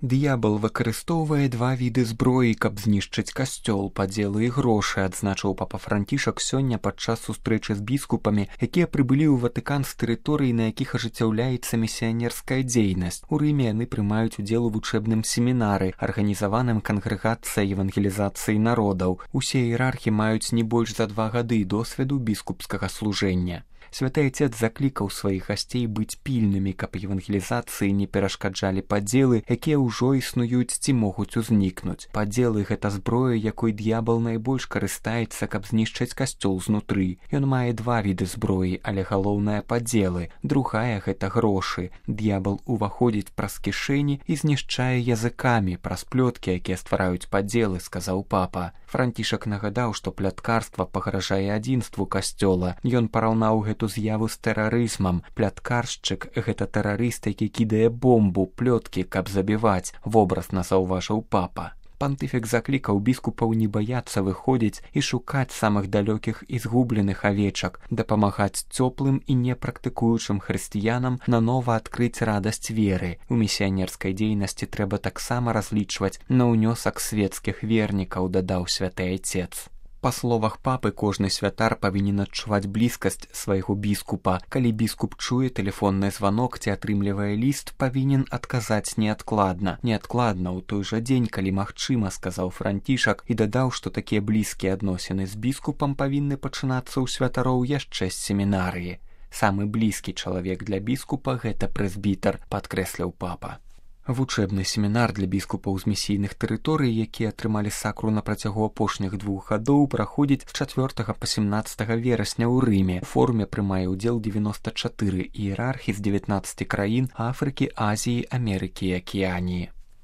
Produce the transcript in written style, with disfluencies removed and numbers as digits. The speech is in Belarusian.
Д'ябал выкарыстоўвае два віды зброі, каб знішчыць касцёл, падзелы і грошы, адзначыў папа Францішак сёння падчас сустрэчы з біскупамі, якія прыбылі ў Ватыкан з тэрыторый, на якіх ажыццяўляецца місіянерская дзейнасць. У Рыме яны прымаюць удзел у вучэбным семінары, арганізаваным кангрэгацыяй евангелізацыі народаў. Усе іерархі маюць не больш за 2 гады досведу біскупскага служэння. Святы Отец заклікаў сваіх гасцей быць пільнымі, каб евангелізацыі не перашкаджалі падзелы, якія ўжо існуюць ці могуць узнікнуць. Падзелы — гэта зброя, якой д'ябал найбольш карыстаецца, каб знішчыць касцёл знутры. Ён мае 2 віды зброі, але галоўнае падзелы. Другая — гэта грошы. Д'ябал уваходзіць праз кішэні і знішчае языкамі, праз плёткі, якія ствараюць падзелы, сказаў папа. Францішак нагадаў, што пляткарства пагражае адзінству касцёла. Ён параўнаў гэту з'яву з тэрарызмам. Пляткаршчык — гэта тэрарыст, які кідае бомбу, плёткі, каб забіваць, вобразна заўважыў папа. Пантыфік заклікаў біскупаў не баяцца выходзіць і шукаць самых далёкіх і згубленых авечак, дапамагаць цёплым і непрактыкуючым хрысціянам нанова адкрыць радасць веры. У місіянерскай дзейнасці трэба таксама разлічваць на ўнёсак светскіх вернікаў, дадаў святы Отец. Па словах папы, кожны святар павінен адчуваць блізкасць свайго біскупа. Калі біскуп чуе тэлефонны званок ці атрымлівае ліст, павінен адказаць неадкладна. Неадкладна ў той жа дзень, калі магчыма, сказаў Францішак, і дадаў, што такія блізкія адносіны з біскупам павінны пачынацца ў святароў яшчэ з семінарыі. Самы блізкі чалавек для біскупа — гэта прэзбітар, падкрэсліў папа. Вучэбны семінар для біскупаў з місійных тэрыторый, якія атрымалі сакру на працягу апошніх 2 гадоў, праходзіць з 4 па 17 верасня ў Рыме. У форуме прымае ўдзел 94 іерархі з 19 краін Афрыкі, Азіі, Амерыкі і Акіяніі.